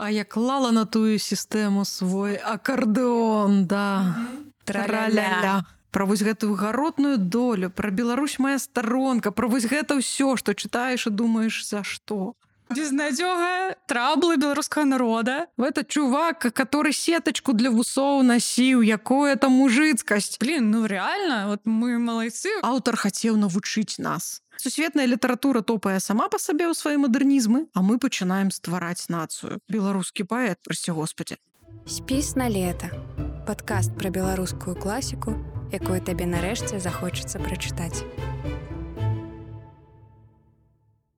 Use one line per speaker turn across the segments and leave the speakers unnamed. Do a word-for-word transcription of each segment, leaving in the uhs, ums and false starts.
А я клала на тую сістэму свой акардэон, да.
Тра-ля-ля.
Пра вось гэтую гаротную долю, пра Беларусь моя старонка, пра вось гэта ўсё, што чытаеш і думаеш, за што.
Безнадёга, траблы беларускага народа.
Это чувак, который сеточку для вусоў насіў, якое там мужыцкасць.
Блин, ну реально, вот мы малайцы.
Аўтар хацеў навучыць нас. Сусветная літаратура топае сама па сабе ў свае мадэрнізмы, а мы пачынаем ствараць нацыю. Беларускі паэт, прасці Господі.
Спіс на лета. Падкаст пра беларускую класіку, якую табе нарэшце захочацца прачытаць.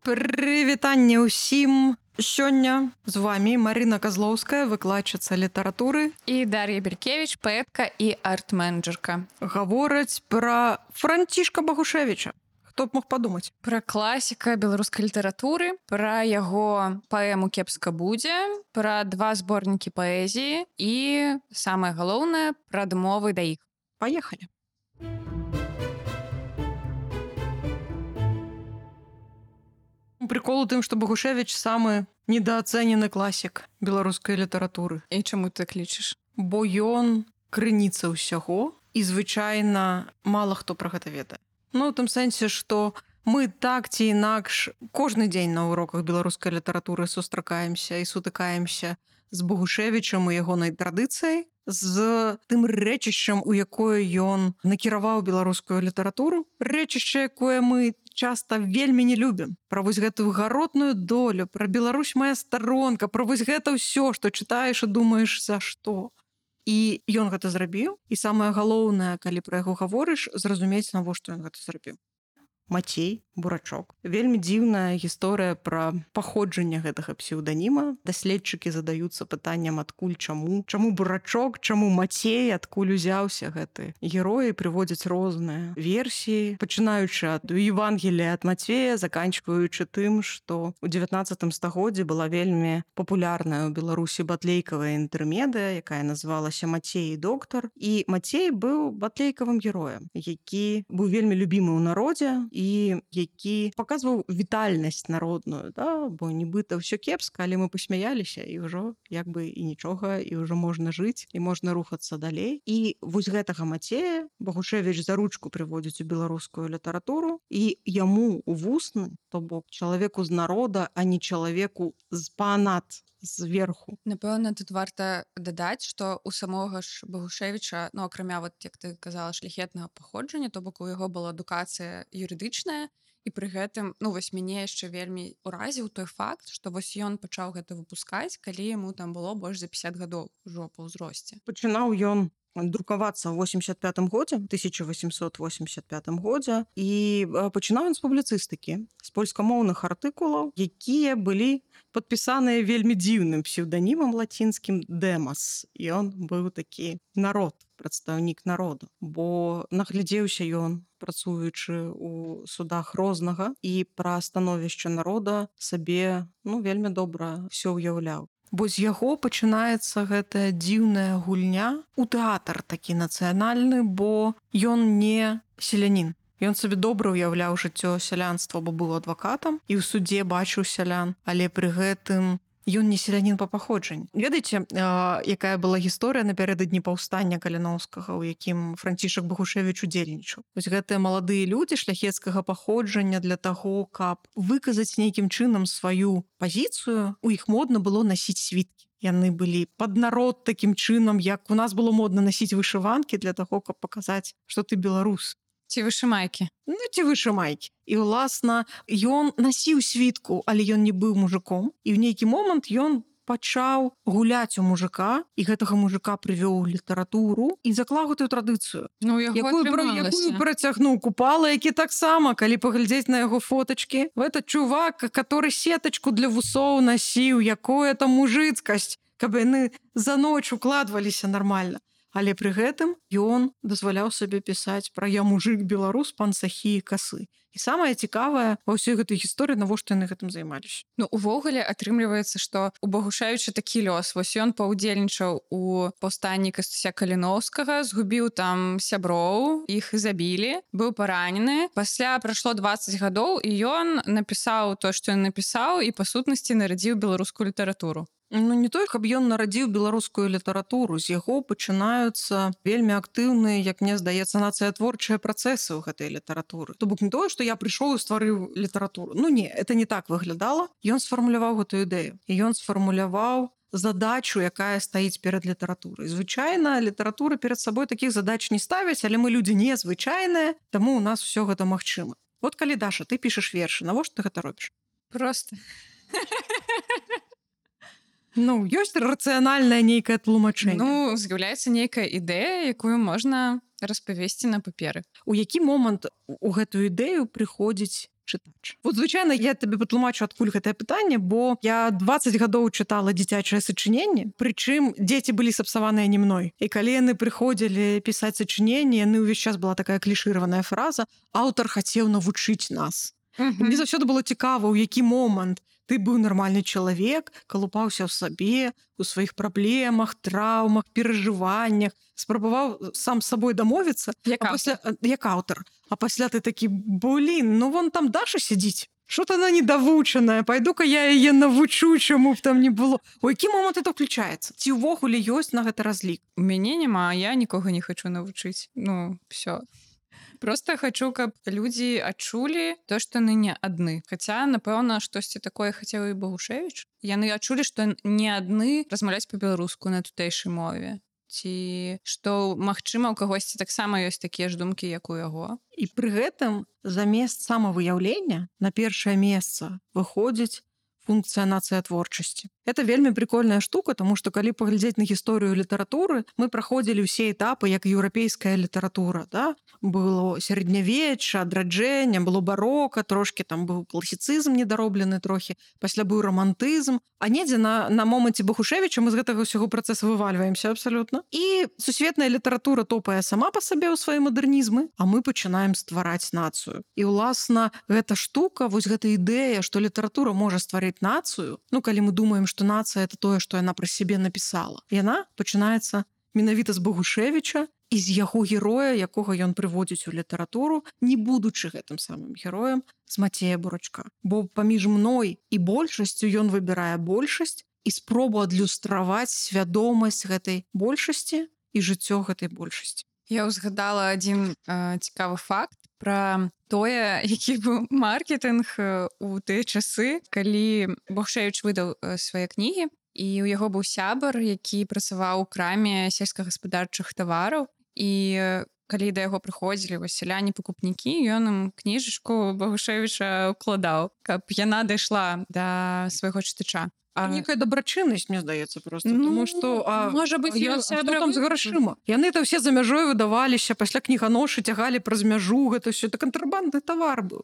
Прывітанне ўсім! Сёння з вами Марына Казлоўская, выкладчыца літаратуры.
І Дар'я Беркевіч, паэтка і арт-менеджерка.
Гавораць пра Францішка Багушевіча. Хто б мог падумаць?
Пра класіка беларускай літаратуры, пра яго паэму «Кепска будзе», пра два зборнікі паэзіі і, самае галоўнае, пра адмовы да іх.
Паехалі! Прикол у тым, што Багушевіч самы недаацэнены класік беларускай літаратуры.
І чаму ты так лічыш?
Бо ён крыніца ўсяго, і звычайна мала хто пра гэта ведае. Ну, у тым сэнсе, што мы так ці інакш кожны дзень на уроках беларускай літаратуры сустракаемся і сутыкаемся з Багушевічам і ягонай традыцыяй, з тым рэчышчам, у якое ён накіраваў беларускую літаратуру, рэчышча, якое мы часта вельмі не любім. Пра вось гэтую гаротную долю, пра Беларусь моя старонка, пра вось гэта ўсё, што чытаеш і думаеш, за што. І ён гэта зрабіў, і самае галоўнае, калі пра яго гаворыш, зразумець, навошта ён гэта зрабіў. Мацей Бурачок. Вельмі дзіўная гісторыя пра паходжанне гэтага псеўданіма. Даследчыкі задаюцца пытаннем, адкуль, чаму. Чаму Бурачок, чаму Мацей, адкуль узяўся гэты героі, прыводзяць розныя версіі, пачынаючы ад Евангелія ад Мацвея, заканчваючы тым, што ў дзевятнаццатым стагоддзі была вельмі папулярная ў Беларусі батлейкавая інтэрмедыя, якая называлася «Мацей і доктар». І Мацей быў батлейкавым героем, які быў вельмі любімы ў народзе, і які паказваў вітальнасць народную, да? Бо нібыта ўсё кепска, але мы пасмяяліся, і ўжо як бы і нічога, і ўжо можна жыць, і можна рухацца далей. І вось гэтага Мацея Багушевіч за ручку прыводзіць у беларускую літаратуру, і яму ў вусны, то бок чалавеку з народа, а не чалавеку з панад, зверху.
Напэўна, тут варта дадаць, што у самога ж Багушевіча, ну, акрамя, вот, як ты казала, шляхетнага паходжання, то бок у яго была адукацыя юрыдычная, і пры гэтым, ну, вось мяне яшчэ вельмі ўразіў той факт, што вось ён пачаў гэта выпускаць, калі яму там было больш за пяцьдзясят гадоў ужо па ўзросце.
Пачынаў ён друкавацца ў восемьдесят пятым годзе, тысяча восемьсот восемьдесят пятым годзе, і пачынаў ён з публіцыстыкі, з польскамоўных артыкулаў, якія былі падпісаныя вельмі дзіўным псеўданімам лацінскім «Дэмас». І ён быў такі народ, прадстаўнік народу, бо наглядзеўся ён, працуючы ў судах рознага, і пра становішча народа сабе, ну, вельмі добра ўсё ўяўляў. Бо з яго пачынаецца гэтая дзіўная гульня у тэатр такі нацыянальны, бо ён не селянін. Ён сабе добра ўяўляў жыццё сялянства, бо быў адвакатам і ў судзе бачыў сялян, але пры гэтым ён не селянін па паходжанні. Ведаеце, якая была гісторыя напярэдадні паўстання Каліноўскага, у якім Францішак Багушевіч удзельнічаў. Вось гэтыя маладыя людзі шляхецкага паходжання для таго, каб выказаць нейкім чынам сваю пазіцыю, у іх модна было насіць світкі. Яны былі пад народ такім чынам, як у нас было модна насіць вышыванкі для таго, каб паказаць, што ты беларус.
Ці вышымайкі.
Ну, ці вышымайкі. І, уласна, ён насіў світку, але ён не быў мужиком. І ў нейкі момант ён пачаў гуляць у мужика, і гэтага мужика прывёў у літаратуру і заклаў гэтую традыцыю.
Ну, яго
якую,
атрымалася.
якую працягнуў Купала, які таксама, калі паглядзець на яго фотачкі, гэта чувак, который сетачку для вусоў насіў, якое там мужыцкасць, каб яны за ноч укладваліся нармальна. Але пры гэтым ён дазваляў сабе пісаць пра «Я мужик беларус, пан сахі і касы». І самае цікавае ва ўсёй гэтай гісторыі, навошта яны гэтым займаліся.
Ну, увогуле атрымліваецца, што у Багушевіча такі лёс. Вось ён паўдзельнічаў у паўстанні Кастуся Каліноўскага, згубіў там сяброў, іх і забілі, быў паранены. Пасля прайшло дваццаць гадоў, і ён напісаў то, што ён напісаў, і па сутнасці нарадзіў беларускую літаратуру.
Ну не той, каб ён нарадзіў беларускую літаратуру, з яго пачынаюцца вельмі актыўныя, як мне здаецца, нацыятворчыя працэсы ў гэтай літаратуры. То бок не тое, што я прыйшоў і стварыў літаратуру. Ну не, это не так выглядала. Ён сфармуляваў гэтую ідэю. І ён сфармуляваў задачу, якая стаіць перад літаратурай. Звычайна літаратура перад сабой такіх задач не ставіць, але мы людзі незвычайныя, таму у нас все гэта магчыма. Вот калі, Даша, ты пішаш вершы, навошта ты гэта робіш?
Просто.
Ну, ёсць рацыянальнае нейкае тлумачэнне.
Ну, з'яўляецца нейкая ідэя, якую можна распавесці на паперы.
У які момант у гэтую ідэю прыходзіць чытач? Вот, звычайна, я табе патлумачу, адкуль гэтае пытанне, бо я дваццаць гадоў чытала дзіцячае сачыненне, прычым дзеці былі сапсаваныя не мной. І калі яны прыходзілі пісаць сачыненне, яны ўвесь час была такая клішыраваная фраза: аўтар хацеў навучыць нас.
Мгм.
Мне заўсёды было цікава, у які момант ты быў нармальны чалавек, калупаўся ў сабе, у сваіх праблемах, траўмах, перажываннях, спрабаваў сам з сабой дамовіцца,
Як
а пасля як аўтар. А пасля ты такі: блін, ну вон там Даша сядзіць. Что-то она недовучаная, пойду-ка я яе навучу, чаму б там не было. У які момант это включаецца? Ці ўвогуле ёсць на гэта разлік?
У мяне няма, я нікога не хачу навучыць. Ну, все. Просто хочу, каб людзі адчулі то, што яны не адны. Хаця, напэўна, штосьці такое хацеў і Багушевіч. Яны адчулі, што не адны размаўляць па-беларуску на тутэйшай мове. Ці што, магчыма, у кагосьці таксама ёсць такія ж думкі, як у яго.
І пры гэтым замест самавыяўлення на першае месца выходзіць функцыя нацыятворчасці. Это вельмі прикольная штука, тому што калі паглядзець на гісторыю літаратуры, мы праходзілі ўсе этапы як еўрапейская літаратура, да? Было сярэднявечча, адраджэнне, было барока, трошки там быў класіцызм недароблены трохі, пасля быў рамантызм, а недзе на, на моманце Багушевіча мы з гэтага ўсяго працэсу вывальваемся абсалютна. І сусветная літаратура топае сама па сабе ў свае мадэрнізмы, а мы пачынаем ствараць нацыю. І ўласна гэта штука, вось гэта ідэя, што літаратура можа стварыць нацыю, ну калі мы думаем, што нацыя это тое, што яна пра сябе напісала. Яна пачынаецца менавіта з Багушевіча і з яго героя, якога ён прыводзіць у літаратуру, не будучы гэтым самым героем, з Мацея Бурачка. Бо паміж мной і большасцю ён выбірае большасць і спробу адлюстраваць свядомасць гэтай большасці і жыццё гэтай большасці.
Я ўзгадала адзін э, цікавы факт пра тое, які быў маркетынг у тыя часы, калі Багушевіч выдаў э, свае кнігі, і ў яго быў сябар, які працаваў у краме сельскагаспадарчых тавараў, і э, калі да яго прыходзілі сяляне-пакупнікі, ён ім кніжачку Багушевіча ўкладаў, каб яна дайшла да свайго чытача.
А некая дабрачыннасць, мне здаецца, просто.
Ну,
Тому што, а,
можа быць,
я,
ён
а што
сябра
там з
выпусціў.
грашыма? Яны то все за мяжой выдаваліся, пасля кніганошы цягалі праз мяжу, гэта ўсё, это кантрабандны тавар быў.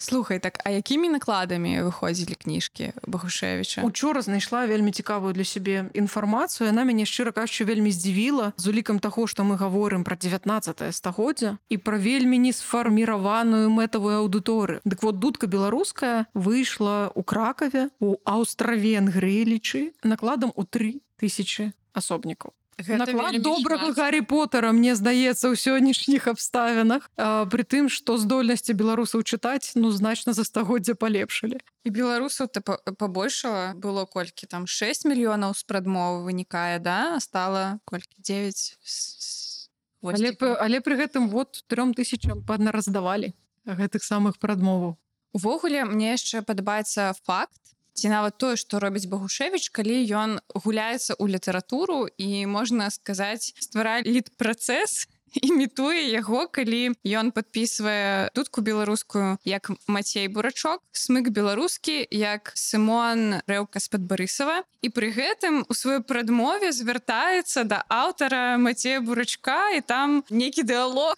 Слухай, так, а якімі накладамі выходзілі кніжкі Багушевіча?
Учора знайшла вельмі цікавую для сябе інфармацыю. Яна мяне, шчыра кажучы, вельмі здзівіла з улікам таго, што мы гаворым пра дзевятнаццатае стагоддзя і пра вельмі несфарміраваную мэтавую аўдыторыю. Дык вот дудка беларуская выйшла ў Кракаве, у Аўстра-Венгрыі, накладам у тры тысячы асобнікаў. Наклад добрага Гаррі Поттера, мне здаецца, ў сённяшніх абставінах, а, пры тым, што здольнасці беларусаў чытаць, ну, значна за стагоддзя палепшылі.
І беларусаў пабольшала, было колькі там шэсць мільёнаў з прадмовы вынікае, да? А стала колькі дзевяць з
Але, п- але пры гэтым вот трём тысячам паднараздавалі гэтых самых прадмоваў.
Увогуле, мне яшчэ падабаецца факт, ці нават тое, што робіць Багушевіч, калі ён гуляецца ў літаратуру і, можна сказаць, стварае літ-працэс, імітуе яго, калі ён падпісвае дудку беларускую як Мацей Бурачок, смык беларускі як Сымон Рэўка з-пад Барысава, і пры гэтым у сваёй прадмове звяртаецца да аўтара Мацея Бурачка, і там нейкі дыалог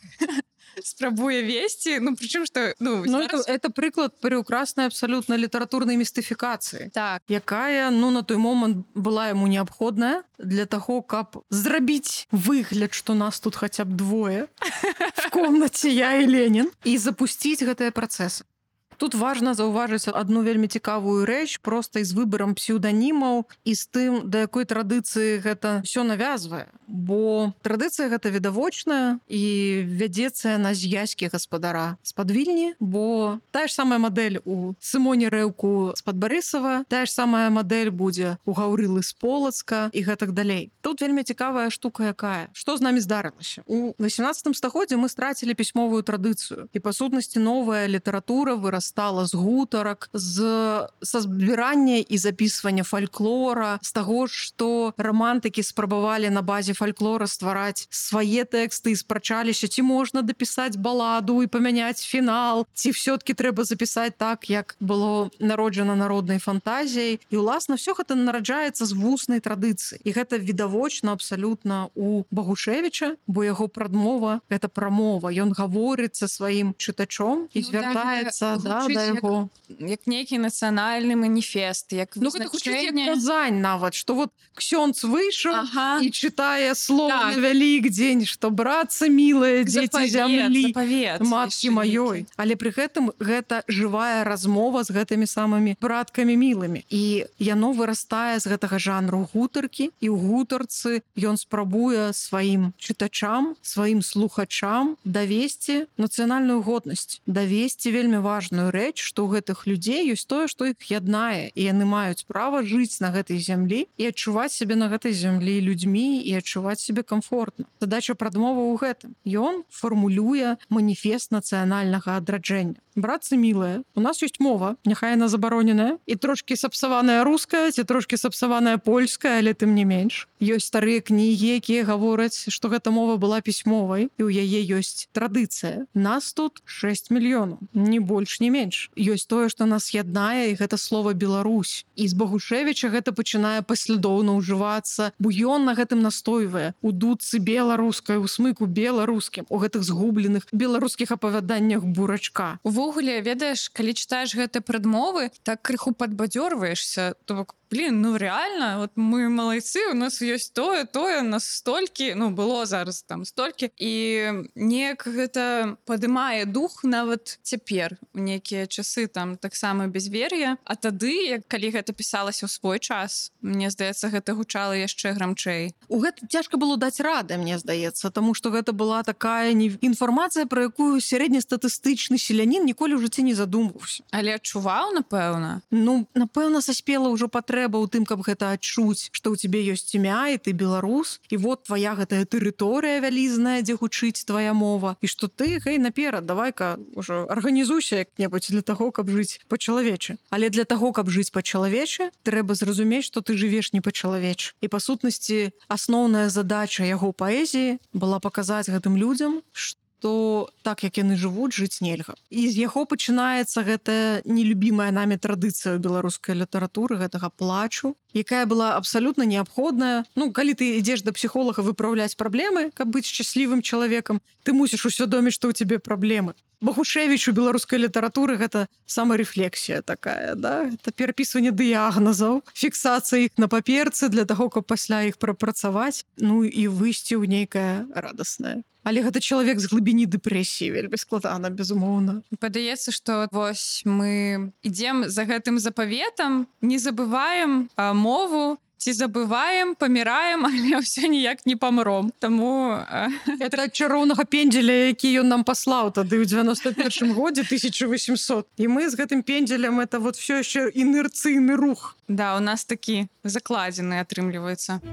спрабуе весці, ну прычым што ну,
Ну,
зараз...
это, это прыклад прыўкраснай абсалютна літаратурнай містыфікацыі,
так,
якая, ну, на той момант была яму неабходная для таго, каб зрабіць выгляд, што нас тут хаця б двое в комнаце, я і Ленін, і запусціць гэтыя працэсы. Тут важна заўважыць адну вельмі цікавую рэч, проста і з выбарам псеўданімаў і з тым, да якой традыцыі гэта ўсё навязвае. бо традыцыя гэта відавочная і вядзецца яна з яські гаспадара з-пад Вільні, бо тая ж самая мадэль у Сымоне Рэўку з-пад Барысава, тая ж самая мадэль будзе у Гаўрылы з Полацка і гэтак далей. Тут вельмі цікавая штука якая. Што з намі здарылася? У васемнаццатым стагоддзі мы страцілі пісьмовую традыцыю. І па сутнасці новая літаратура вырастала з гутарак, з са збірання і запісвання фальклора, з таго, што рамантыкі спрабавалі на базе фальклора ствараць свае тэксты і спрачаліся, ці можна дапісаць баладу і памяняць фінал, ці ўсё-ткі трэба запісаць так, як было народжана народнай фантазіяй. І, уласна, все гэта нараджаецца з вуснай традыцыі. І гэта відавочна абсалютна у Багушевіча, бо яго прадмова — гэта прамова. Ён гаворыць са сваім чытачом і
Ну,
звяртаецца
так,
да,
гучыць
да
як-
яго.
Як нейкі нацыянальны маніфест, як
Ну, гэта гучыць як
вызначэнне.
казань нават, што вот ксёндз выйшаў
Ага.
і чытае слов
Так.
на Вялікдзень, што братцы мілыя, дзеці зямлі,
запавет,
маткі
яшчэ
маёй.
нейкі.
Але пры гэтым гэта жывая размова з гэтымі самымі браткамі мілымі. І яно вырастае з гэтага жанру гутаркі, і ў гутарцы ён спрабуе сваім чытачам, сваім слухачам давесці нацыянальную годнасць, давесці вельмі важную рэч, што ў гэтых людзей ёсць тое, што іх яднае, і яны маюць права жыць на гэтай зямлі і адчуваць сябе на гэтай зямлі людзьмі і адчуваць сябе комфортна. Задача прадмовы ў гэтым. Ён фармулюе маніфест нацыянальнага адраджэння. Братцы мілыя, у нас ёсць мова, няхай яна забароненая, і трошкі сапсаваная руская, ці трошкі сапсаваная польская, але тым не менш. Ёсць старыя кнігі, якія гавораць, што гэта мова была пісьмовай, і ў яе ёсць традыцыя. Нас тут шэсць мільёнаў, ні больш, ні менш. Ёсць тое, што нас яднае, і гэта слова Беларусь. І з Багушевіча гэта пачынае паслядоўна ўжывацца, бо ён на гэтым настойвае. У дудцы беларускай, у смыку беларускім, у гэтых згубленых беларускіх апавяданнях Бурачка.
Увогуле, ведаеш, калі чытаеш гэтыя прадмовы, так крыху падбадзёрваешся, то бок, блин, ну реально, вот мы малайцы, у нас ёсць тое, тое, у нас столькі, ну было зараз там столькі, і неяк гэта падымае дух нават цяпер у нейкія часы там таксама безвер'я, а тады, як калі гэта пісалася ў свой час, мне здаецца, гэта гучала яшчэ грамчэй.
У гэта цяжка было даць рады, мне здаецца, таму што гэта была такая не... інфармацыя, пра якую сярэднестатыстычны селянін ніколі ў жыцці не задумваўся.
Але адчуваў, напэўна.
Ну, напэўна, саспела ўжо патрэба ў тым, каб гэта адчуць, што ў цябе ёсць імя, і ты беларус, і вот твая гэтая тэрыторыя вялізная, дзе гучыць твая мова, і што ты, гэй, наперад, давай-ка ўжо арганізуйся як-небудзь для таго, каб жыць па-чалавечы. Але для таго, каб жыць па-чалавечы, трэба зразумець, што ты жывеш не па-чалавечы. І, па сутнасці, асноўная задача яго паэзіі была паказаць гэтым людзям, што то так, як яны жывуць, жыць нельга. І з яго пачынаецца гэтая нелюбімая намі традыцыя беларускай літаратуры, гэтага плачу, якая была абсалютна неабходная. Ну, калі ты ідзеш да псіхолага выпраўляць праблемы, каб быць шчаслівым чалавекам, ты мусіш усвядоміць, што ў цябе праблемы. Багушевіч у беларускай літаратуры гэта самарэфлексія такая, да? Это перапісванне дыягназаў, фіксацыя іх на паперцы для таго, каб пасля іх прапрацаваць, ну і выйсці ў нейкае радаснае. Але гэта чалавек з глыбіні дэпрэсіі, вельмі складана, безумоўна.
Падаецца, што вось мы ідзем за гэтым запаветам, не забываем а, мову, ці забываем, паміраем, але ўсё ніяк не памром. Таму а...
это ад чароўнага пендзеля, які ён нам паслаў тады ў дзевяноста першым годзе тысяча восемьсот. І мы з гэтым пендзелем это вот все яшчэ інерцыйны рух.
Да, у нас такі закладзены атрымліваецца.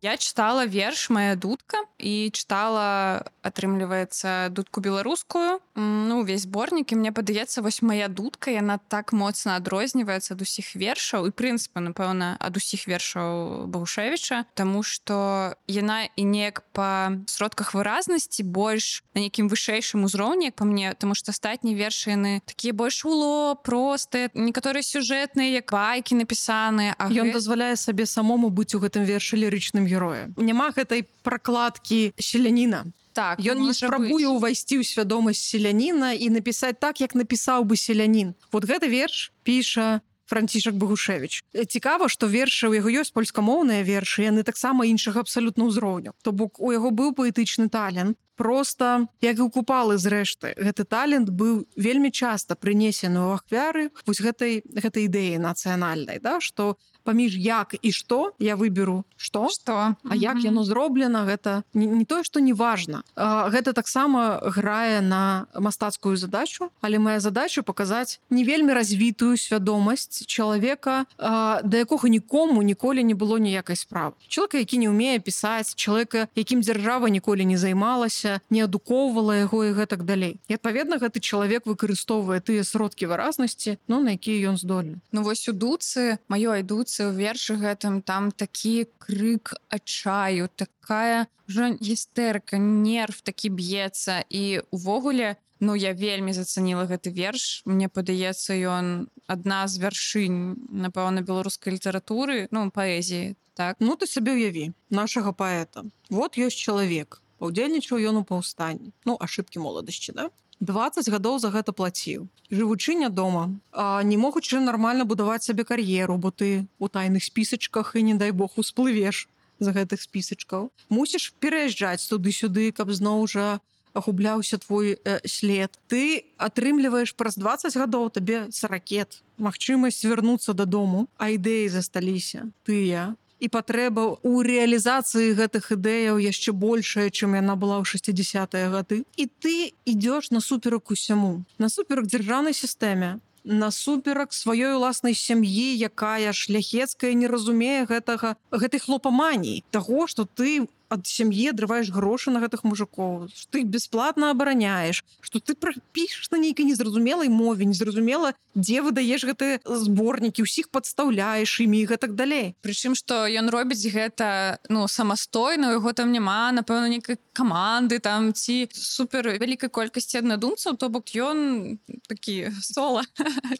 Я чытала верш «Моя дудка» і чытала, атрымліваецца, дудку беларускую, ну, увесь зборнік, і мне падаецца, вось «Моя дудка», яна так моцна адрозніваецца ад усіх вершаў, і, прынцыпе, напэўна, ад усіх вершаў Багушевіча, таму што яна і неяк па сродках выразнасці больш на нейкім вышэйшым узроўні, як па мне, таму што астатнія вершы, яны такія больш уло, простыя, некаторыя сюжэтныя, як байкі напісаныя, а
Ён
гэт...
дазваляе сабе самому быць у гэтым вершы лірычным героя. Няма гэтай пракладкі селяніна.
Так,
Ён не спрабуе ўвайсці ў свядомасць селяніна і напісаць так, як напісаў бы селянін. Вот гэты верш піша Францішак Багушевіч. Цікава, што вершы, у яго ёсць польскамоўныя вершы, яны таксама іншага абсалютна ўзроўню. То бок у яго быў паэтычны талент, Просто як і ў купалы зрэшты, гэты талент быў вельмі часта прынесены ў ахвяры вось гэтай гэтай ідэі нацыянальнай, да, што паміж як і што я выберу што,
Што?
а як яно зроблена, гэта не, не тое, што не важна. А, гэта таксама грае на мастацкую задачу, але моя задача паказаць не вельмі развітую свядомасць чалавека, а, да якога нікому ніколі не было ніякай справы. Чалавека, які не ўмее пісаць, чалавека, якім дзяржава ніколі не займалася, не адукоўвала яго і гэтак далей. І адпаведна гэты чалавек выкарыстоўвае тыя сродкі выразнасці, ну, на якія ён здольны.
Ну вось у дуцы, маёй дуцы у вершы гэтым там такі крык адчаю, такая ўжо гістэрка, нерв такі б'ецца. І увогуле, ну я вельмі зацаніла гэты верш. Мне падаецца, ён адна з вяршынь, напэўна, беларускай літаратуры, ну, паэзіі, так?
Ну, ты сабе ўяві, нашага паэта. Вот ёсць чалавек. Паўдзельнічаў ён у паўстанні. Ну, ашыбкі моладасці, да? дваццаць гадоў за гэта плаціў. Жывучы нядома, а не могучы нармальна будаваць сабе кар'еру, бо ты у тайных спісачках і, не дай Бог, усплывеш за гэтых спісачкаў. Мусіш пераязджаць туды-сюды, каб зноў жа агубляўся твой э, след. Ты атрымліваеш праз дваццаць гадоў табе саракет, магчымасць вярнуцца дадому, а ідэі засталіся тыя. І патрэба ў рэалізацыі гэтых ідэяў яшчэ большая, чым яна была ў шэсцідзесятыя гады. І ты ідзеш насуперак усяму, насуперак дзяржаўнай сістэме, насуперак сваёй уласнай сям'і, якая шляхецкая не разумее гэтага, гэтай хлопаманіі, таго, што ты ад сям'і адрываеш грошы на гэтых мужикоў, што ты бясплатна абараняеш, што ты пішаш на нейкай незразумелай мове, незразумела, дзе выдаеш гэтыя зборнікі, усіх падстаўляеш імі і гэтак далей.
Прычым, што ён робіць гэта, ну, самастойна, у яго там няма, напэўна, нейкай каманды там ці супер вялікай колькасці аднадумцаў, то бок ён такі сола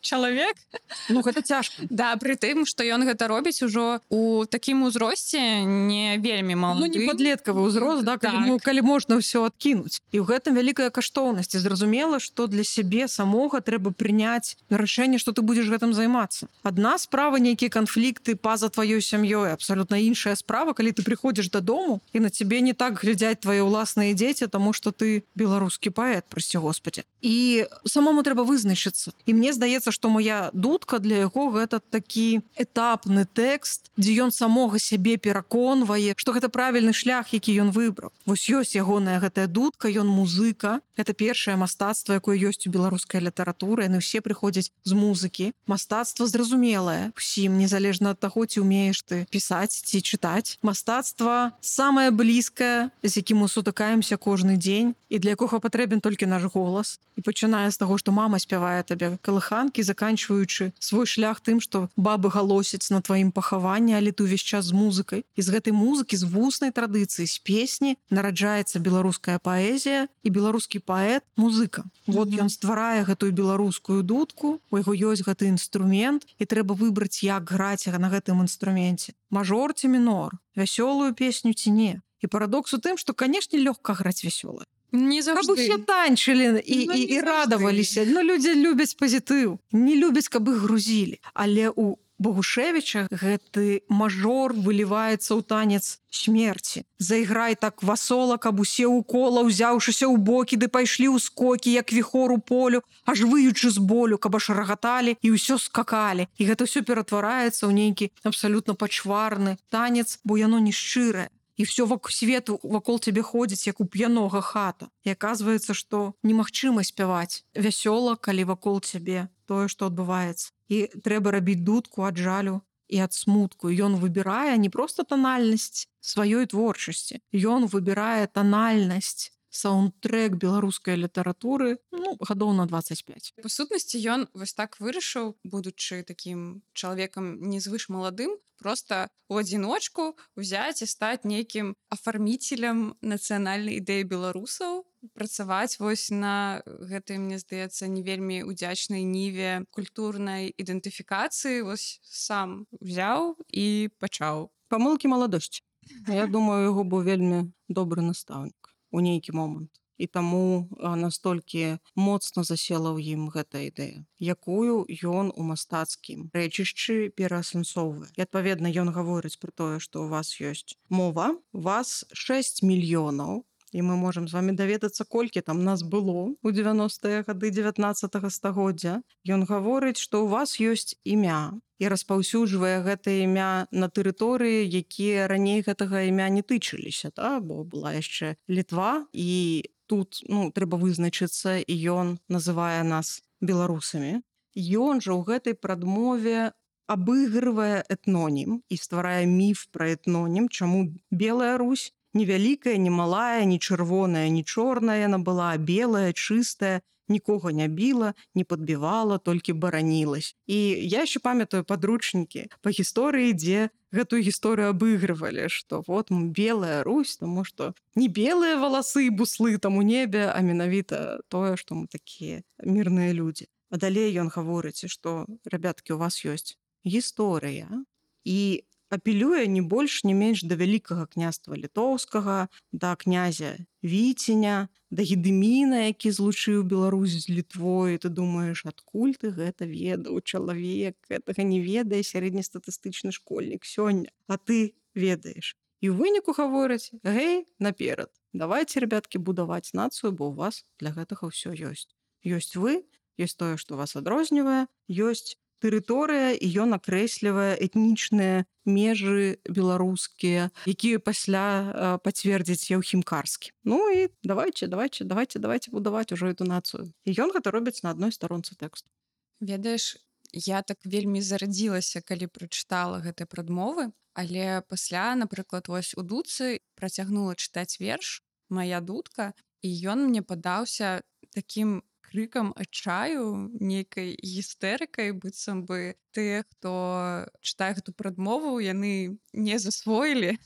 чалавек.
Ну, гэта цяжка.
Да, пры тым, што ён гэта робіць ужо у такім узросце не вельмі малады.
Ну, не падлеткавы ўзрост, да, калі, так. калі можна ўсё адкінуць. І ў гэтым вялікая каштоўнасць. Зразумела, што для сябе самога трэба прыняць рашэнне, што ты будзеш гэтым займацца. Адна справа нейкія канфлікты па-за тваёй сям'ёй, абсалютна іншая справа, калі ты прыходзіш дадому і на цябе не так глядзяць твае ўласныя дзеці, таму што ты беларускі паэт, прасці Господі. І самому трэба вызначыцца. І мне здаецца, што моя дудка для яго гэта такі этапны тэкст, дзе ён самога сябе пераконвае, што гэта правільны шлях, які ён выбраў. Вось ёсць ягоная гэтая дудка, ён музыка. Гэта першае мастацтва, якое ёсць у беларускай літаратуры. Яны ўсе прыходзяць з музыкі. Мастацтва зразумелае усім, незалежна ад таго, ці ўмееш ты пісаць ці чытаць. Мастацтва самае блізкае, з якім мы сутыкаемся кожны дзень і для якога патрэбен толькі наш голас. І пачынае з таго, што мама спявае табе калыханкі, заканчваючы свой шлях тым, што бабы галосяць на тваім пахаванні, але ты ўвесь час з музыкай. І з гэтай музыкі, з вуснай традыцыі, з песні нараджаецца беларуская паэзія і беларускі паэт музыка. Вот ён стварае гэтую беларускую дудку, у яго ёсць гэты інструмент, і трэба выбраць, як граць на гэтым інструменце. Мажор ці мінор, вясёлую песню ці не. І парадокс у тым, што, канешне, лёгка граць вясёлае.
Не
Каб
заўжды.
усе танчылі і,
Ну,
і,
не
і
заўжды.
радаваліся. Ну, людзі любяць пазітыў, не любяць, каб іх грузілі. Але у Богушевіча гэты мажор выліваецца ў танец смерці. Зайграй так васола, каб усе ў кола, узяўшыся ў бокі, ды пайшлі ў скокі, як віхор у полю, аж выючы з болю, каб аж рагаталі і ўсё скакалі. І гэта ўсё ператвараецца ў нейкі абсалютна пачварны танец, бо яно не шчырае. І ўсё вакол свету вакол цябе ходзіць, як у п'янога хата. І аказваецца, што немагчыма спяваць вясёла, калі вакол цябе тое, што адбываецца. І трэба рабіць дудку ад жалю і ад смутку. Ён выбірае не проста танальнасць сваёй творчасці. Ён выбірае танальнасць, саундтрэк беларускай літаратуры, ну, гадоў на дваццаць пяць.
Па сутнасці ён вось так вырашыў, будучы такім чалавекам незвыш маладым, просто у адзіночку ўзяць і стаць нейкім афарміцелем нацыянальнай ідэі беларусаў, працаваць вось на гэтай, мне здаецца, не вельмі удзячнай ніве культурнай ідэнтыфікацыі, вось сам узяў і пачаў.
Памылкі маладосці. Я думаю, яго быў вельмі добры настаўнік у нейкі момант. І таму настолькі моцна засела ў ім гэта ідэя, якую ён у мастацкім рэчышчы пераасэнсоўвае. І адпаведна ён гаворыць пра тое, што ў вас ёсць мова, у вас шэсць мільёнаў і мы можам з вами даведацца, колькі там нас было ў дзевяностыя гады дзевятнаццатага стагоддзя. Ён гаворыць, што ў вас ёсць імя і распаўсюджвае гэтае імя на тэрыторыі, якія раней гэтага імя не тычыліся, да? Бо была яшчэ Літва, і тут ну, трэба вызначыцца, і ён называе нас беларусамі. Ён жа ў гэтай прадмове абыгрывае этнонім і стварае міф пра этнонім, чаму Белая Русь не вялікая, не малая, не чырвоная, не чорная, яна была белая, чыстая, нікога не біла, не падбівала, толькі баранілась. І я яшчэ памятаю падручнікі па гісторыі, дзе гэтую гісторыю абыгрывалі, што вот Белая Русь, таму што не белыя валасы і буслы там у небе, а менавіта тое, што мы такія мірныя людзі. А далей ён гаворыць, што, ребяткі, у вас ёсць гісторыя, і апелюе не больш, не менш да вялікага княства літоўскага, да князя Віценя, да Гедыміна, які злучыў Беларусь з Літвой. Ты думаеш, адкуль ты гэта ведаў? Чалавек гэтага не ведае сярэднестатыстычны школьнік сёння, а ты ведаеш. І ў выніку гавораць: гэй, наперад, давайте, ребяткі, будаваць нацыю, бо ў вас для гэтага ўсё ёсць. Ёсць вы, ёсць тое, што вас адрознівае, ёсць тэрыторыя, і ён акрэслівае этнічныя межы беларускія, якія пасля пацвердзіць Яўхім Карскі. Ну і давайте, давайте, давайте, давайте будаваць ужо эту нацыю. І ён гэта робіць на адной старонцы тэксту.
Ведаеш, я так вельмі зарадзілася, калі прачытала гэтай прадмовы, але пасля, напрыклад, вось у дудцы працягнула чытаць верш «Мая дудка», і ён мне падаўся такім крыкам адчаю, нейкай гістэрыкай, быццам бы тыя, хто чытае гэту прадмову, яны не засвоілі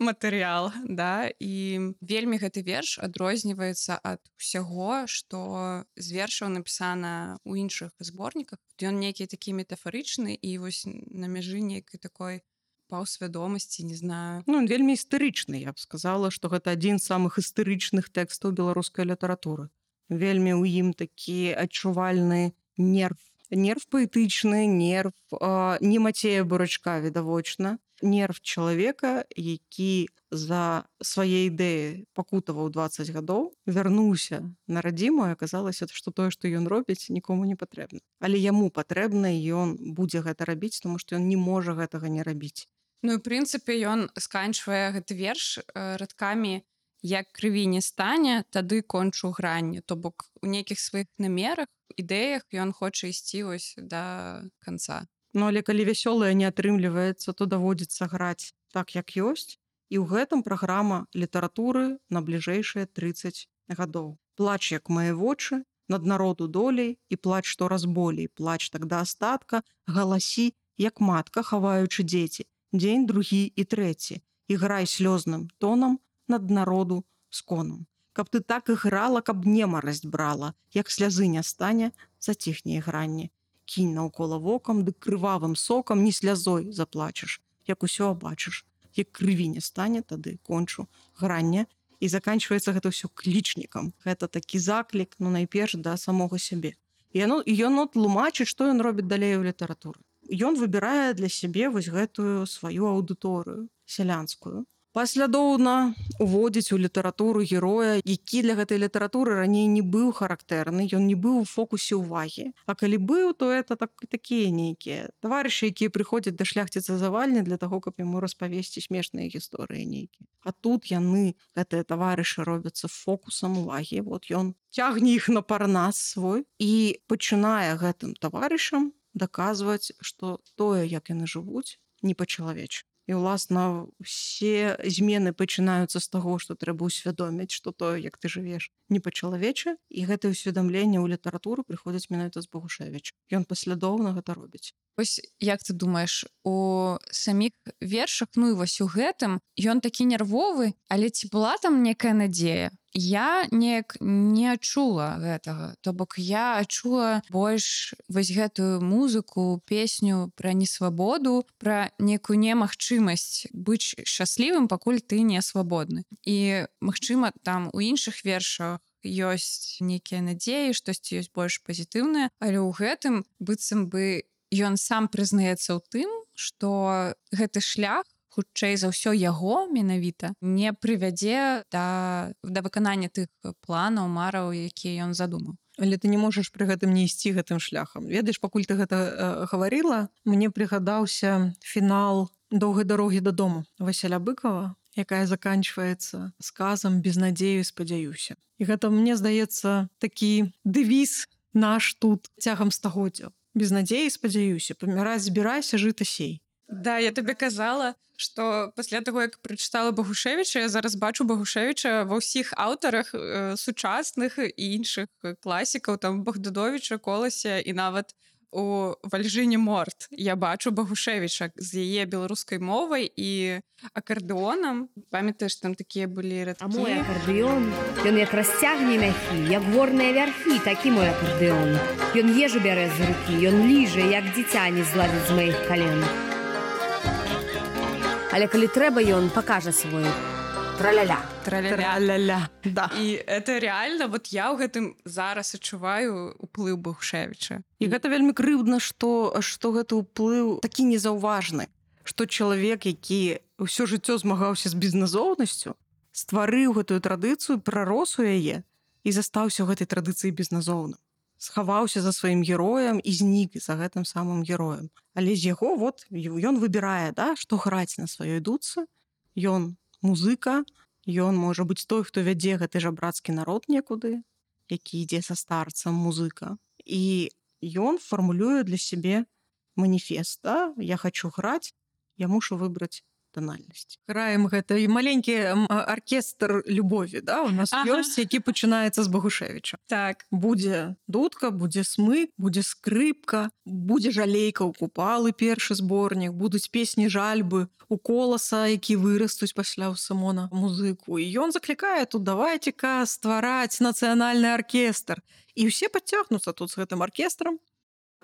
матэрыял, да? І вельмі гэты верш адрозніваецца ад усяго, што з вершаў напісана ў іншых зборніках. Ён нейкі такі метафарычны і вось на мяжы нейкай такой паўсвядомасці, не знаю.
Ну, ён вельмі істэрычны, я б сказала, што гэта адзін з самых істэрычных тэкстаў беларускай літаратуры. Вельмі ў ім такі адчувальны нерв. Нерв паэтычны, нерв э, не Мацея Бурачка, відавочна. Нерв чалавека, які за свае ідэі пакутаваў дваццаць гадоў, вярнуўся на радзіму, і аказалася, што тое, што ён робіць, нікому не патрэбна. Але яму патрэбна, і ён будзе гэта рабіць, тому што ён не можа гэтага не рабіць.
Ну, і, ў прынцыпе, ён сканчвае гэты верш э, радкамі «Як крыві не стане, тады кончу гранню». То бок у нейкіх сваіх намерах, ідэях ён хоча ісці вось да канца.
Ну, але калі вясёлае не атрымліваецца, то даводзіцца граць так, як ёсць. І ў гэтым праграма літаратуры на бліжэйшыя трыццаць гадоў. Плач, як мае вочы, над народу долей, і плач штораз болей, плач так да астатка, галасі, як матка, хаваючы дзеці, дзень другі і трэці, і грай слёзным тонам над народу сконам. Каб ты так іграла, каб немарасць брала, як слязы не стане, заціхне ігранне. Кінь наўкола вокам, дык крывавым сокам не слязой заплачаш, як усё абачыш. Як крыві не стане, тады кончу гранне. І заканчваецца гэта ўсё клічнікам. Гэта такі заклік, ну, найперш да самога сябе. І ён тлумачыць, што ён робіць далей у літаратуры. Ён выбірае для сябе вось гэтую сваю аўдыторыю сялянскую. Паслядоўна уводзіць у літаратуру героя, які для гэтай літаратуры раней не быў характэрны, ён не быў у фокусе ўвагі. А калі быў, то это так, такія нейкія таварышы, якія прыходзяць да шляхціца завальні для таго, каб яму распавесці смешныя гісторыі нейкія. А тут яны, гэтыя таварышы, робяцца фокусам увагі. Вот ён цягне іх на парнас свой і пачынае гэтым таварышам даказваць, што тое, як яны жывуць, не па-чалавечы. І, уласна, усе змены пачынаюцца з таго, што трэба ўсвядоміць, што тое, як ты жывеш, не па-чалавечы, і гэтае ўсведамленне ў літаратуру прыходзіць менавіта з Богушевіча. Ён паслядоўна гэта робіць.
Вось як ты думаеш, у саміх вершах, ну і вось у гэтым, ён такі нервовы, але ці была там некая надзея? Я неяк не адчула гэтага. То бок я адчула больш вось гэтую музыку, песню пра несвабоду, пра некую немагчымасць быць шчаслівым, пакуль ты не свабодны. І, магчыма, там у іншых вершах ёсць нейкія надзеі, штосьці ёсць больш пазітыўнае, але ў гэтым быццам бы ён сам прызнаецца ў тым, што гэты шлях, хутчэй за ўсё яго менавіта не прывядзе да да выканання тых планаў, мараў, якія ён задумаў.
Але ты не можаш пры гэтым не ісці гэтым шляхам. Ведаеш, пакуль ты гэта э, гаварыла, мне прыгадаўся фінал доўгай дарогі дадому Васіля Быкова, якая заканчваецца сказам без надзею, спадзяюся. І гэта, мне здаецца, такі дэвіз наш тут цягам стагоддзяў. Без надзеі, спадзяюся, паміраць збірайся, жыта сей.
Да, я табе казала, што пасля таго, як прачытала Багушевіча, я зараз бачу Багушевіча ва ўсіх аўтарах э, сучасных і іншых класікаў, там Багдадовіча, Колася і нават у Вальжыне Морт. Я бачу Багушевіча з яе беларускай мовай і акардэонам. Памятаеш, там такія былі радкі.
А мой акардэон, ён як расцягне мяхі, як горныя вярхі, такі мой акардэон. Ён ежу бярэ з рукі, ён ліжа, як дзіця не зладзіць з маіх кален. Але калі трэба, ён пакажа свой траля-ля.
Траля-ля.
Траля-ля. Да.
І это реально, вот я ў гэтым зараз адчуваю уплыў Багушевіча.
І гэта вельмі крыўдна, што, што гэты ўплыў такі незаўважны, што чалавек, які ўсё жыццё змагаўся з безназоўнасцю, стварыў гэтую традыцыю, прарос у яе і застаўся ў гэтай традыцыі безназоўным. Схаваўся за сваім героем і знік за гэтым самым героем. Але з яго вот ён выбірае, да, што граць на сваёй дудцы. Ён музыка, ён можа быць той, хто вядзе гэты жабрацкі народ некуды, які ідзе са старцам музыка. І ён фармулюе для сябе маніфест, да? Я хочу граць, я мушу выбраць тональнасць. Граем гэта і маленькі аркестр любові, да? У нас
Ага.
ёсць, які пачынаецца з Багушевіча.
Так.
Будзе дудка, будзе смык, будзе скрыпка, будзе жалейка ў купалы, першы зборнік, будуць песні жальбы у Коласа, які вырастуць пасля ў Сымона музыку. І ён заклікае тут, давайце-ка ствараць нацыянальны аркестр. І ўсе падцягнуцца тут з гэтым аркестрам.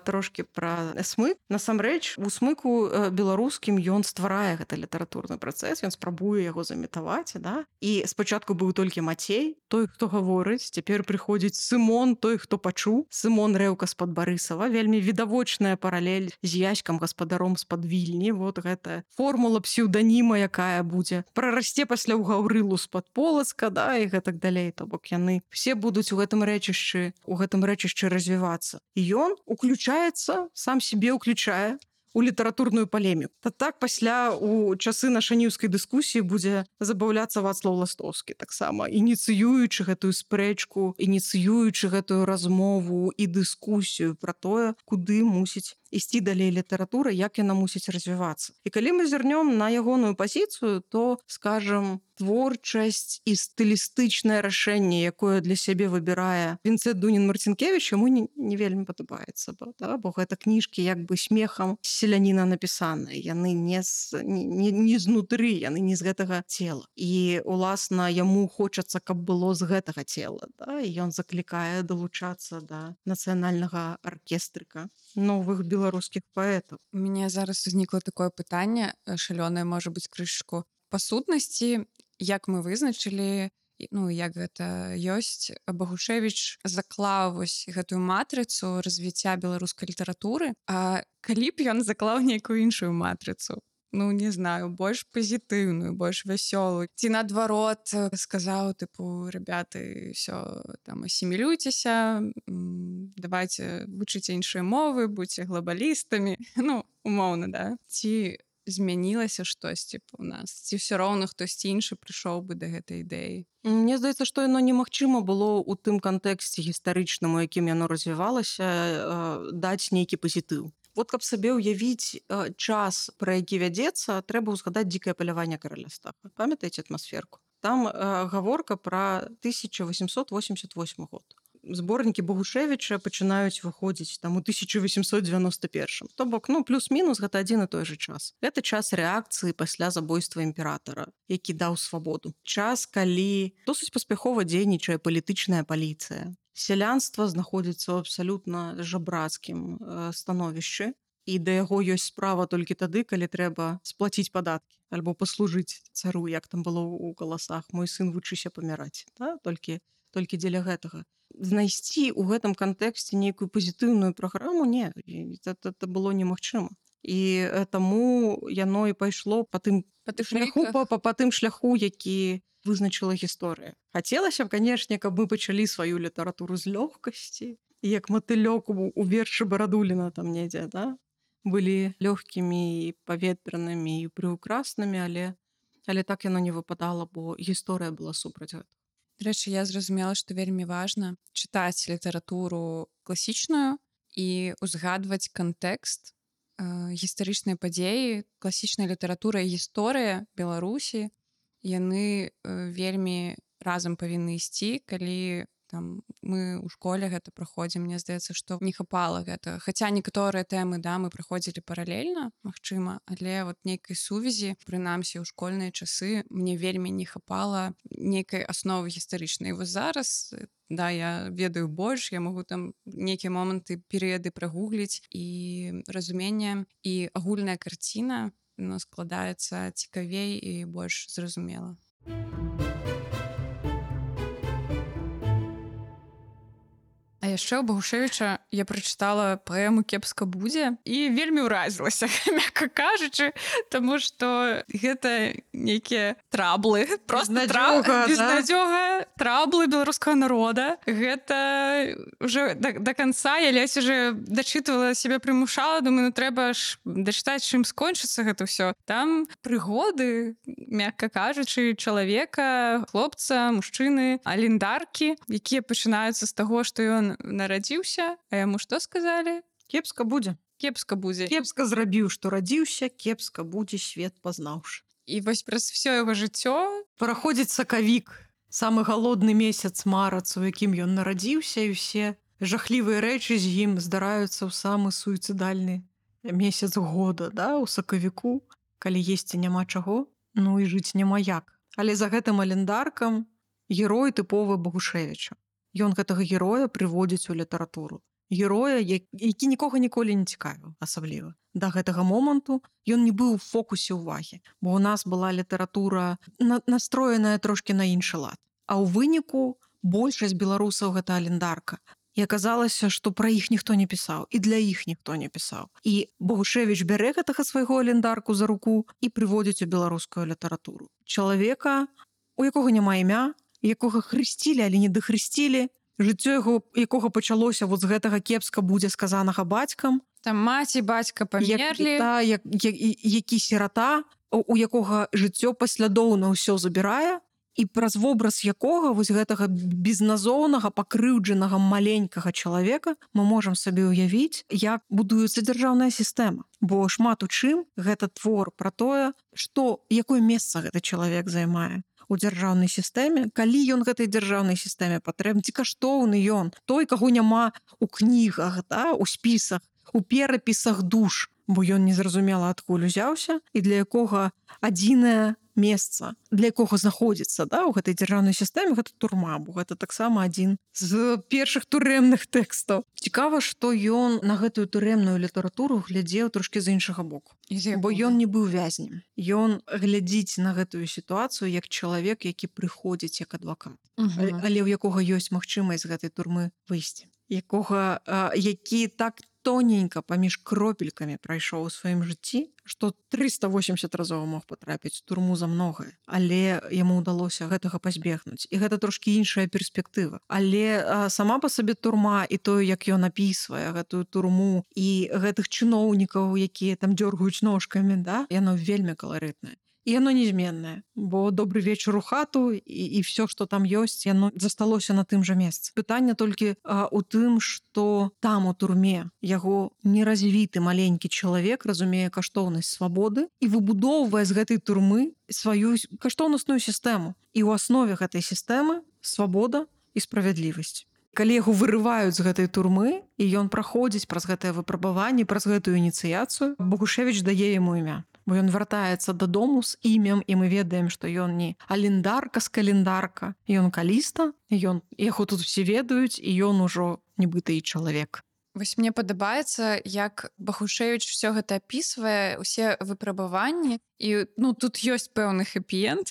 Трошки пра смык. Насамрэч, у смыку беларускім ён стварае гэты літаратурны працэс, ён спрабуе яго заметаваць, да? І спачатку быў толькі Мацей, той, хто гаворыць, цяпер прыходзіць Сымон, той, хто пачуў. Сымон Рэўка з-пад Барысава, вельмі відавочная паралель з Яськам, гаспадаром з-пад Вільні. Вот гэта формула псеўданіма, якая будзе прарасце пасля ў Гаўрылу з-пад Полацка, да, і гэтак далей. То бок яны все будуць у гэтым рэчышчы, у гэтым рэчышчы развівацца. І ён уключае сам себе уключае у літаратурную палеміку. Та так пасля у часы нашаніўскай дыскусіі будзе забаўляцца Вацлаў Ластоўскі таксама, ініцыюючы гэтую спрэчку, ініцыюючы гэтую размову і дыскусію пра тое, куды мусіць ісці далей літаратура, як яна мусіць развівацца. І калі мы зірнём на ягоную пазіцыю, то, скажам, творчасць і стылістычнае рашэнне, якое для сябе выбірае Вінцэнт Дунін-Марцінкевіч, яму не, не вельмі падабаецца, бо, да? Бо гэта кніжкі як бы смехам селяніна напісаныя. Яны не, з, не, не знутры, яны не з гэтага цела. І, уласна, яму хочацца, каб было з гэтага цела. Да? І ён заклікае далучацца да нацыянальнага аркестрыка новых беларускіх паэтаў.
У мяне зараз узнікла такое пытанне, шалёнае, можа быць, крышку. Па сутнасці, як мы вызначылі, ну, як гэта ёсць, Багушевіч заклаў вось гэтую матрыцу развіцця беларускай літаратуры, а калі б ён заклаў нейкую іншую матрыцу? Ну, не знаю, больш пазітыўную, больш вясёлую. Ці наадварот сказаў, тыпу, ребята, ўсё, там, асімілюйцеся, давайте вучыце іншыя мовы, будьце глобалістамі. Ну, умоўна, да? Ці змянілася штосьці у нас? Ці ўсё роўна хтосьці іншы прыйшоў бы да гэтай ідэі?
Мне здаецца, што яно немагчыма было ў тым кантэксце гістарычным, у якім яно развівалася, даць нейкі пазітыў. Вот каб сабе ўявіць час, пра які вядзецца, трэба ўзгадаць дзікае паляванне караля Астафа. Памятаеце атмасферку? Там гаворка пра тысяча восемьсот восемьдесят восьмы год. Зборнікі Багушевіча пачынаюць выходзіць там у тысяча восемьсот девяносто первым. То бок, ну, плюс-мінус гэта адзін і той жа час. Гэта час рэакцыі пасля забойства імператара, які даў свабоду. Час, калі досыць паспяхова дзейнічае палітычная паліцыя. Сялянства знаходзіцца ў абсалютна жабрацкім становішчы, і да яго ёсць справа толькі тады, калі трэба сплаціць падаткі альбо паслужыць цару, як там было ў Каласах. Мой сын вучыся паміраць, да? толькі, толькі дзеля гэтага. Знайсці ў гэтым кантэксце нейкую пазітыўную праграму, не, это, это было немагчыма. і таму яно і пайшло па тым
Па тых
шляху
рэйках.
па, па, па тым шляху, які вызначыла гісторыя. Хацелася б, канешне, каб мы пачалі сваю літаратуру з лёгкасці, як матылёк у, у вершы Барадуліна там недзе, да? Былі лёгкімі і паветранымі і прыўкраснымі, але але так яно не выпадала, бо гісторыя была супраць гэта.
Дарэчы, я зразумела, што вельмі важна чытаць літаратуру класічную і узгадваць кантэкст, э, гістарычныя падзеі, класічная літаратура і гісторыя Беларусі, яны э, вельмі разам павінны ісці, калі там мы ў школе гэта праходзім, мне здаецца, што не хапала гэта. Хаця некаторыя тэмы, да, мы праходзілі паралельна, магчыма, але вот нейкай сувязі, прынамсі ў школьныя часы, мне вельмі не хапала нейкай асновы гістарычнай. І вось зараз, да, я ведаю больш, я магу там нейкія моманты, перыяды прагугліць, і разуменне і агульная карціна, ну, складаецца цікавей і больш зразумела. А яшчэ ў Багушевіча я прачытала паэму «Кепска будзе» і вельмі ўразілася, мякка кажучы, таму што гэта нейкія траблы, проста
Безнадзёга, да?
безнадзёга, траблы беларускага народа. Гэта ўжо да, да канца я ледзь уже дачытвала, сябе прымушала, думаю, ну трэба ж дачытаць, чым скончыцца гэта ўсё. Там прыгоды, мякка кажучы, чалавека, хлопца, мужчыны, аліндаркі, якія пачынаюцца з таго, што ён нарадзіўся, а яму што сказалі?
Кепска будзе.
Кепска будзе.
Кепска зрабіў, што радзіўся, кепска будзе свет пазнаўшы.
І вось праз всё яго жыццё
Праходзіць сакавік, самы галодны месяц марац, у якім ён нарадзіўся, і ўсе жахлівыя рэчы з ім здараюцца ў самы суіцыдальны месяц года, да, у сакавіку, калі есці няма чаго, ну і жыць няма як. Але за гэтым аліндаркам герой тыповы Багушевіча. Ён гэтага героя прыводзіць у літаратуру. Героя, які нікога ніколі не цікавіў, асабліва. Да гэтага моманту ён не быў у фокусе ўвагі, бо ў нас была літаратура на, настроеная трошкі на іншы лад. А ў выніку большасць беларусаў гэта аліндарка. І аказалася, што пра іх ніхто не пісаў, і для іх ніхто не пісаў. І Багушевіч бярэ гэтага свайго аліндарку за руку і прыводзіць у беларускую літаратуру. Чалавека, у якога няма імя, якога хрысцілі, але не дахрысцілі, жыццё яго, якога пачалося вот з гэтага кепска будзе сказанага бацькам.
Там маці, бацька памерлі.
Як, та, як, як, які сірата, у якога жыццё паслядоўна ўсё забірае, і праз вобраз якога вось гэтага безназоўнага, пакрыўджанага маленькага чалавека мы можам сабе ўявіць, як будуецца дзяржаўная сістэма. Бо шмат у чым гэта твор пра тое, што, якое месца гэты чалавек займае у дзяржаўнай сістэме, калі ён гэтай дзяржаўнай сістэме патрэбны, ці каштоўны ён, той, каго няма у кнігах, да, у спісах, у перапісах душ, бо ён незразумела адкуль узяўся, і для якога адзінае месца, для якога знаходзіцца, да, у гэтай дзяржаўнай сістэме, гэта турма, бо гэта таксама адзін з першых турэмных тэкстаў. Цікава, што ён на гэтую турэмную літаратуру глядзеў трошкі з іншага боку. Бо ён не быў вязнем. Ён глядзіць на гэтую сітуацыю як чалавек, які прыходзіць як адвакат,
Угу.
але ў якога ёсць магчымасць з гэтай турмы выйсці. Якога, а, які так тоненька паміж кропелькамі прайшоў у сваім жыцці, што трыста восемьдесят разоў мог патрапіць у турму за многае, але яму ўдалося гэтага пазбегнуць. І гэта трошкі іншая перспектыва. Але а, сама па сабе турма і тое, як ён апісвае гэтую турму і гэтых чыноўнікаў, якія там дзёргаюць ножкамі, да, яно вельмі каларытнае. І яно незменнае, бо добры вечар у хату і, і все, што там ёсць, яно засталося на тым жа месцы. Пытанне толькі а, у тым, што там у турме яго неразвіты маленькі чалавек разумее каштоўнасць свабоды і выбудоўвае з гэтай турмы сваю каштоўнасную сістэму. І ў аснове гэтай сістэмы свабода і справядлівасць. Калі яго вырываюць з гэтай турмы, і ён праходзіць праз гэтае выпрабаванне, праз гэтую ініцыяцыю, Багушевіч дае яму імя. Бо ён вяртаецца дадому з імем, і мы ведаем, што ён не аліндарка з календарка, ён каліста, ён, яго тут усе ведаюць, і ён ужо нібыта і чалавек.
Вось мне падабаецца, як Багушевіч все гэта апісвае, усе выпрабаванні, і ну тут ёсць пэўны хэпі-энд.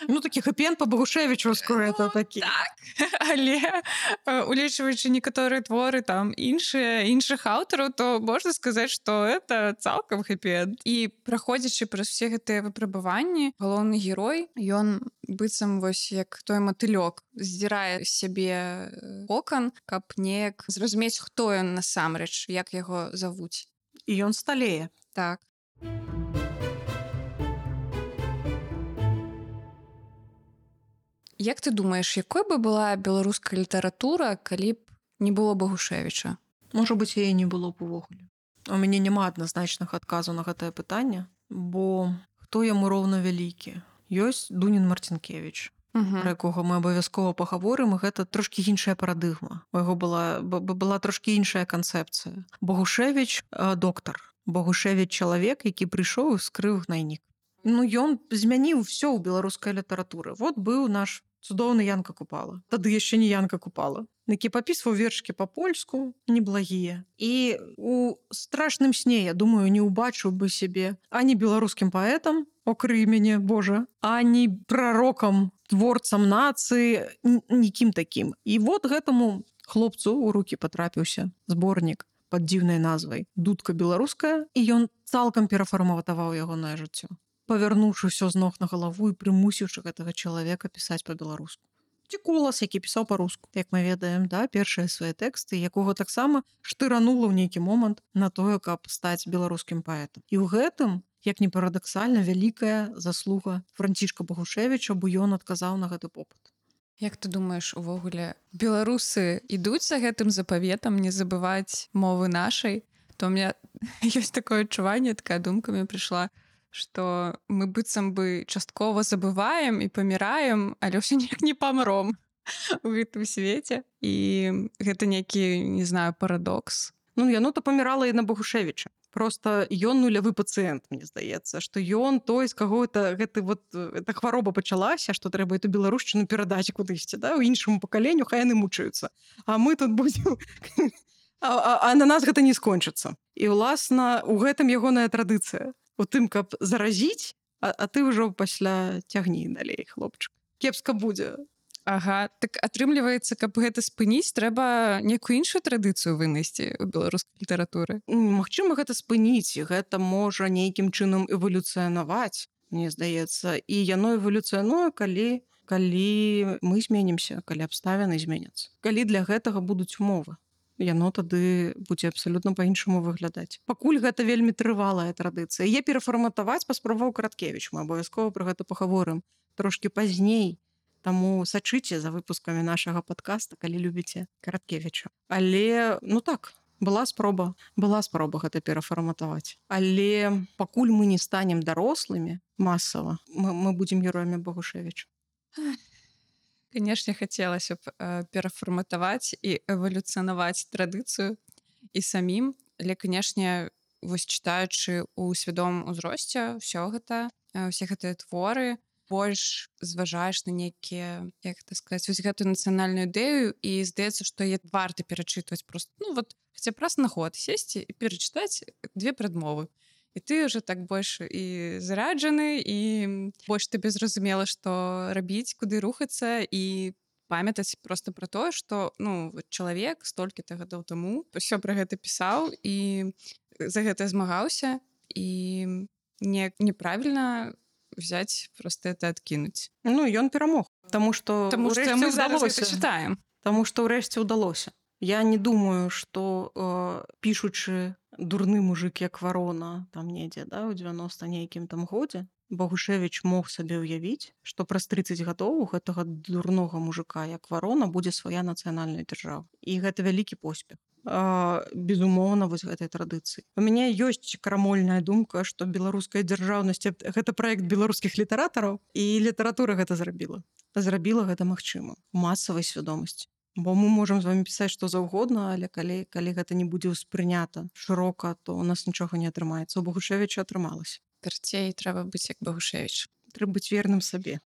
Ну, такі хэпі-энд па Багушевічаўску, это такі.
Так, але э, улічваючы некаторыя творы там іншыя іншых аўтараў, то можна сказаць, што это цалкам хэпі-энд. І праходзячы праз усе гэтыя выпрабаванні, галоўны герой, ён быццам вось як той матылёк здзірае з сябе кокан, каб неяк зразумець, хто ён насамрэч, як яго завуць.
І ён сталее.
Так. Як ты думаеш, якой бы была беларуская літаратура, калі б не было Багушевіча?
Можа быць, яе не было б увогуле. У мяне няма адназначнага адказу на гэтае пытанне, бо хто яму роўна вялікі? Ёсць Дунін Марцінкевіч,
Угу.
пра якога мы абавязкова пагаворым, і гэта трошкі іншая парадыгма. У яго была, была трошкі іншая канцэпцыя. Багушевіч э, доктар. Багушевіч чалавек, які прыйшоў і скрыў гнайнік. Ну, ён змяніў ўсё ў беларускай літаратуры. Вот быў наш цудоўны Янка Купала. Тады яшчэ не Янка Купала. Які папісваў вершкі па-польску, неблагія. І у страшным сне, я думаю, не ўбачыў бы сябе ані беларускім паэтам, окрый мяне, Божа, ані прарокам, творцам нацыі, нікім такім. І вот гэтаму хлопцу ў рукі патрапіўся зборнік пад дзіўнай назвай «Дудка беларуская», і ён цалкам перафарматаваў ягонае жыццё, павярнуўшы ўсё з ног на галаву і прымусіўшы гэтага чалавека пісаць па-беларуску. Ці Колас, які пісаў па-руску, як мы ведаем, да, першыя свае тэксты, якога таксама штыранула ў нейкі момант на тое, каб стаць беларускім паэтам. І ў гэтым, як не парадаксальна, вялікая заслуга Францішка Багушевіча, бо ён адказаў на гэты попыт.
Як ты думаеш, увогуле, беларусы ідуць за гэтым запаветам не забываць мовы нашай? То у меня ёсць такое адчуванне, такая думка мне прыйшла, што мы быццам бы часткова забываем і паміраем, але ўсё ніяк не памром у гэтым свеце. І гэта нейкі, не знаю, парадокс.
Ну, яно то памірала і на Багушевіча. Просто ён нулявы пацыент, мне здаецца, што ён той, з каго это, гэты вот, эта хвароба пачалася, што трэба эту беларушчыну перадаць кудысьці, да, у іншаму пакаленню, хай яны мучаюцца. А мы тут будзем... А, а, а на нас гэта не скончыцца. І, уласна, у гэтым ягоная традыцыя. У тым, каб заразіць, а, а ты ўжо пасля цягні далей, хлопчык. Кепска будзе.
Ага, так атрымліваецца, каб гэта спыніць, трэба некую іншую традыцыю вынайсці ў беларускай літаратуры.
Магчыма, гэта спыніць, і гэта можа нейкім чынам эвалюцыянаваць, мне здаецца. І яно эвалюцыянуе, калі, калі мы зменімся, калі абставіны зменяцца. Калі для гэтага будуць умовы. Яно тады будзе абсалютна па-іншаму выглядаць. Пакуль гэта вельмі трывалая традыцыя. Яе перафарматаваць паспрабаваў Караткевіч. Мы абавязкова пра гэта пагаворым трошкі пазней. Таму сачыце за выпускамі нашага падкаста, калі любіце Караткевіча. Але, ну так, была спроба, была спроба гэта перафарматаваць. Але пакуль мы не станем дарослымі масава, мы, мы будзем героямі Багушевіча.
Канешне, хацелася б э, перафарматаваць і эвалюцыянаваць традыцыю і самім, але, канешне, вось чытаючы ў свядомым узросце ўсё гэта, э, усе гэтыя творы, больш зважаеш на нейкія, як так сказаць, вось гэтую нацыянальную ідэю, і здаецца, што яе варта перачытваць просто, ну вот, хаця праз на год сесці і перачытаць две прадмовы. І ты ўжо так больш і зараджаны, і больш табе зразумела, што рабіць, куды рухацца, і памятаць просто пра тое, што, ну, чалавек столькі-то гадоў таму ўсё пра гэта пісаў і за гэта змагаўся, і не, неправільна взять, просто это откинуть.
Ну, ён перамог, таму што
Таму што мы зараз гэта чытаем.
Таму што ўрэшце ўдалося. Я не думаю, што э, пішучы дурны мужик як Варона там недзе, да, у дзевяноста нейкім там годзе, Багушевіч мог сабе ўявіць, што праз трыццаць гадоў у гэтага дурнога мужика як Варона будзе свая нацыянальная дзяржава. І гэта вялікі поспех. Безумоўна, вось гэтай традыцыі. У мяне ёсць крамольная думка, што беларуская дзяржаўнасць — гэта праект беларускіх літаратараў, і літаратура гэта зрабіла. Зрабіла гэта магчыма у масавай свядомасці. Бо мы можам з вами пісаць што заўгодна, але калі, калі гэта не будзе ўспрынята шырока, то у нас нічога не атрымаецца. У Багушевіча атрымалася.
Карцей трэба быць як Багушевіч.
Трэба быць верным сабе.